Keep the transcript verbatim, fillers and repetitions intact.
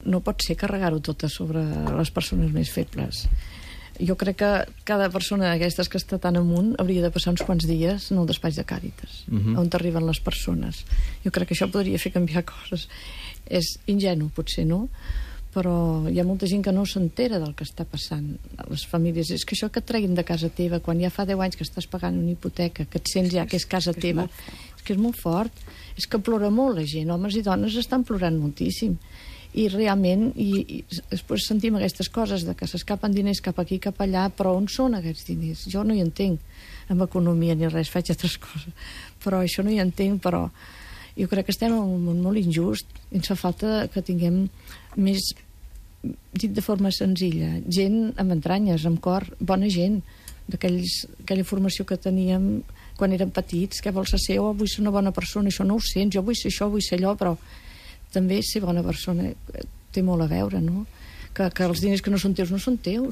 no pot ser carregar-ho tot a sobre les persones més febles. Jo crec que cada persona d'aquestes que està tan amunt hauria de passar uns quants dies en el despatx de Càritas, uh-huh. on arriben les persones. Jo crec que això podria fer canviar coses. És ingenu, potser, no? Però hi ha molta gent que no s'entera del que està passant a les famílies. És que això que et treguin de casa teva quan ja fa deu anys que estàs pagant una hipoteca, que et sents ja que és casa és teva, és que és molt fort. És que plora molt la gent, homes i dones estan plorant moltíssim. I realment i, i després sentim aquestes coses de que s'escapen diners cap aquí, cap allà, però on són aquests diners? Jo no hi entenc en economia ni res, faig altres coses, però això no hi entenc. Però jo crec que estem en un món molt injust i ens fa falta que tinguem més, dit de forma senzilla, gent amb entranyes, amb cor, bona gent, d'aquella formació que teníem quan érem petits, que vols ser, oh, vull ser una bona persona, això no ho sents, jo vull ser això, vull ser allò, però també ser bona persona té molt a veure, no? Que, que els diners que no són teus no són teus,